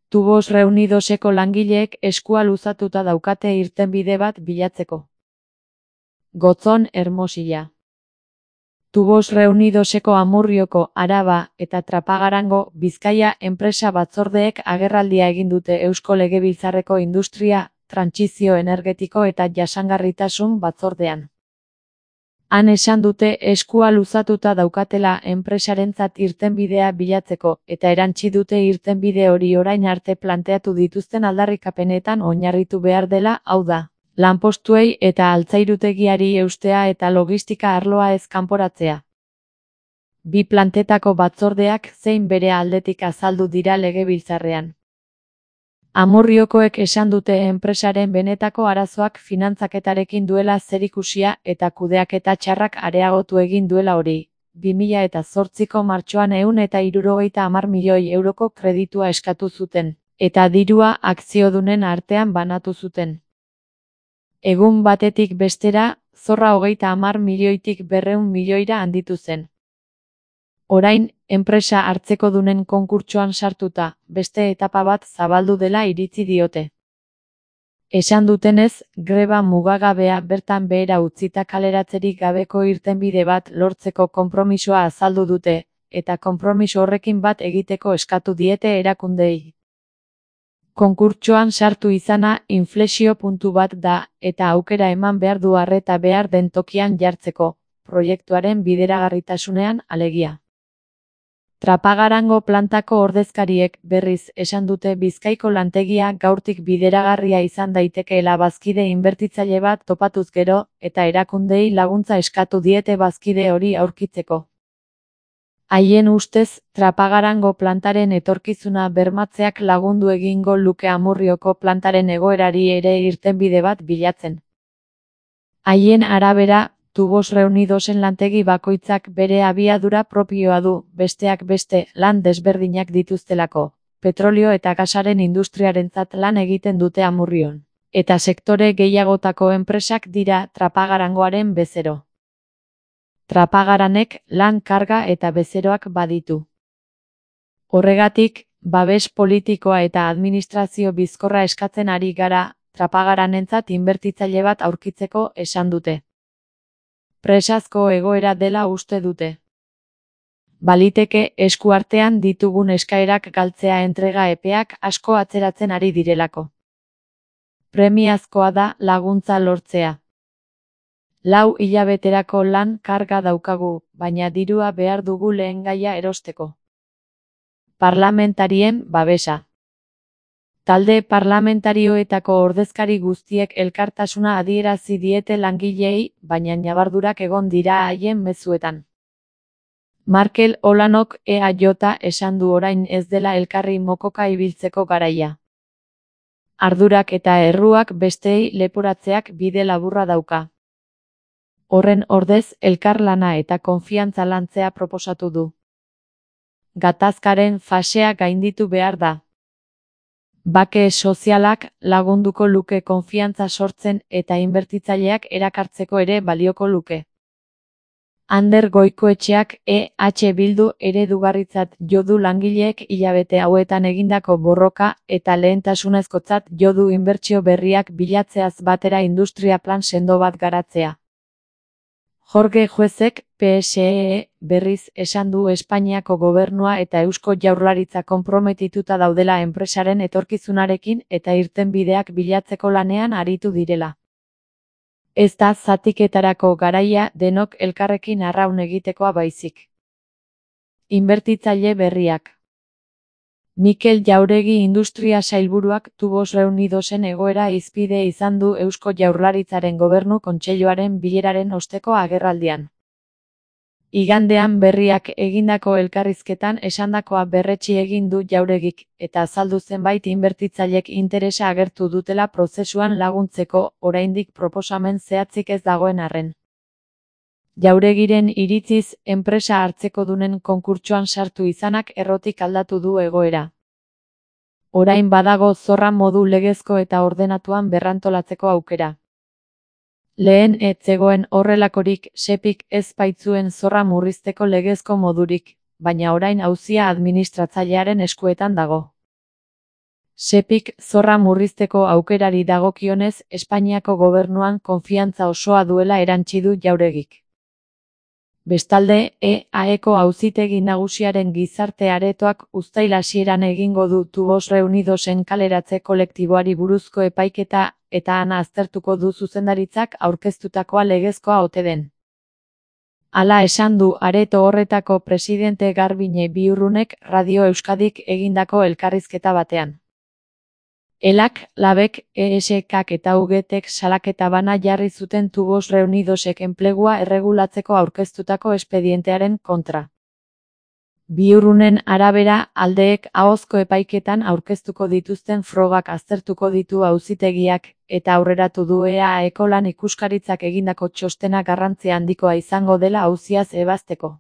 Tubos Reunidoseko langileek eskua luzatuta daukate irtenbide bat bilatzeko. Gotzon Hermosilla. Tubos Reunidoseko Amurrioko, Araba eta Trapagarango, Bizkaia enpresa batzordeek agerraldia egin dute Eusko Legebiltzarreko Industria, Trantsizio Energetiko eta Jasangarritasun batzordean. Han esan dute eskua luzatuta daukatela enpresarentzat irtenbidea bilatzeko, eta erantsi dute irtenbide hori orain arte planteatu dituzten aldarrikapenetan oinarritu behar dela, hau da, lanpostuei eta altzairutegiari eustea eta logistika arloa ez kanporatzea. Bi plantetako batzordeak zein bere aldetik azaldu dira Legebiltzarrean. Amurriokoek esan dute enpresaren benetako arazoak finantzaketarekin duela zerikusia eta kudeaketa txarrak areagotu egin duela hori. 2008ko martxoan 170 milioi euroko kreditua eskatu zuten, eta dirua akziodunen artean banatu zuten. Egun batetik bestera, zorra 30 milioitik 200 milioira handitu zen. Orain, enpresa hartzekodunen konkurtsoan sartuta, beste etapa bat zabaldu dela iritzi diote. Esan dutenez, greba mugagabea bertan behera utzita kaleratzerik gabeko irtenbide bat lortzeko konpromisoa azaldu dute, eta konpromiso horrekin bat egiteko eskatu diete erakundeei. Konkurtsoan sartu izana inflexio puntu bat da, eta aukera eman behar du arreta behar den tokian jartzeko, proiektuaren bideragarritasunean alegia. Trapagarango plantako ordezkariek berriz esan dute Bizkaiko lantegia gaurtik bideragarria izan daitekeela bazkide inbertitzaile bat topatuz gero, eta erakundei laguntza eskatu diete bazkide hori aurkitzeko. Haien ustez, Trapagarango plantaren etorkizuna bermatzeak lagundu egingo luke Amurrioko plantaren egoerari ere irtenbide bat bilatzen. Haien arabera, Tubos Reunidosen lantegi bakoitzak bere abiadura propioa du, besteak beste, lan desberdinak dituztelako, petrolio eta gasaren industriarentzat lan egiten dute Amurrion, eta sektore gehiagotako enpresak dira Trapagarangoaren bezero. Trapagaranek lan karga eta bezeroak baditu. Horregatik, babes politikoa eta administrazio bizkorra eskatzen ari gara, Trapagaranentzat inbertitzaile bat aurkitzeko esan dute. Presazko egoera dela uste dute. Baliteke eskuartean ditugun eskaerak galtzea entrega epeak asko atzeratzen ari direlako. Premiazkoa da laguntza lortzea. 4 hilabeterako lan karga daukagu, baina dirua behar dugu lehengaia erosteko. Parlamentarien babesa. Talde parlamentarioetako ordezkari guztiek elkartasuna adierazi diete langileei, baina ñabardurak egon dira haien mezuetan. Markel Olanok EAJ esan du orain ez dela elkarri mokoka ibiltzeko garaia. Ardurak eta erruak besteei leporatzeak bide laburra dauka. Horren ordez elkarlana eta konfiantza lantzea proposatu du. Gatazkaren fasea gainditu behar da. Bake sozialak lagunduko luke konfiantza sortzen eta inbertitzaileak erakartzeko ere balioko luke. Ander Goikoetxeak EH Bildu eredugarritzat jo du langileek hilabete hauetan egindako borroka eta lehentasunezkotzat jo du inbertsio berriak bilatzeaz batera industria plan sendo bat garatzea. Jorge Juezek, PSE, berriz esan du Espainiako gobernua eta Eusko Jaurlaritza konprometituta daudela enpresaren etorkizunarekin eta irtenbideak bilatzeko lanean aritu direla. Ez da zatiketarako garaia denok elkarrekin arraun egitekoa baizik. Inbertitzaile berriak. Mikel Jauregi Industria Sailburuak Tubos Reunidosen egoera hizpide izan du Eusko Jaurlaritzaren Gobernu Kontseiluaren bileraren osteko agerraldian. Igandean berriak egindako elkarrizketan esandakoa berretsi egin du Jauregik, eta azaldu zenbait inbertitzailek interesa agertu dutela prozesuan laguntzeko, oraindik proposamen zehatzik ez dagoen arren. Jauregiren iritziz, enpresa hartzekodunen konkurtsoan sartu izanak errotik aldatu du egoera. Orain badago zorra modu legezko eta ordenatuan berrantolatzeko aukera. Lehen ez zegoen horrelakorik, Sepik ez baitzuen zorra murrizteko legezko modurik, baina orain auzia administratzailearen eskuetan dago. Sepik zorra murrizteko aukerari dagokionez Espainiako gobernuan konfiantza osoa duela erantsi du Jauregik. Bestalde, EAeko auzitegi nagusiaren gizarte aretoak uztail hasieran egingo du Tubos Reunidosen kaleratze kolektiboari buruzko epaiketa eta ana aztertuko du zuzendaritzak aurkeztutakoa legezkoa ote den. Hala esan du areto horretako presidente Garbiñe Biurrunek Radio Euskadik egindako elkarrizketa batean. Elak, Labek, ESKak eta UGTek salaketa bana jarri zuten Tubos Reunidosek enplegua erregulatzeko aurkeztutako espedientearen kontra. Biurrunen arabera, aldeek ahozko epaiketan aurkeztuko dituzten frogak aztertuko ditu auzitegiak, eta aurreratu du EAeko lan ikuskaritzak egindako txostena garrantzia handikoa izango dela auziaz ebazteko.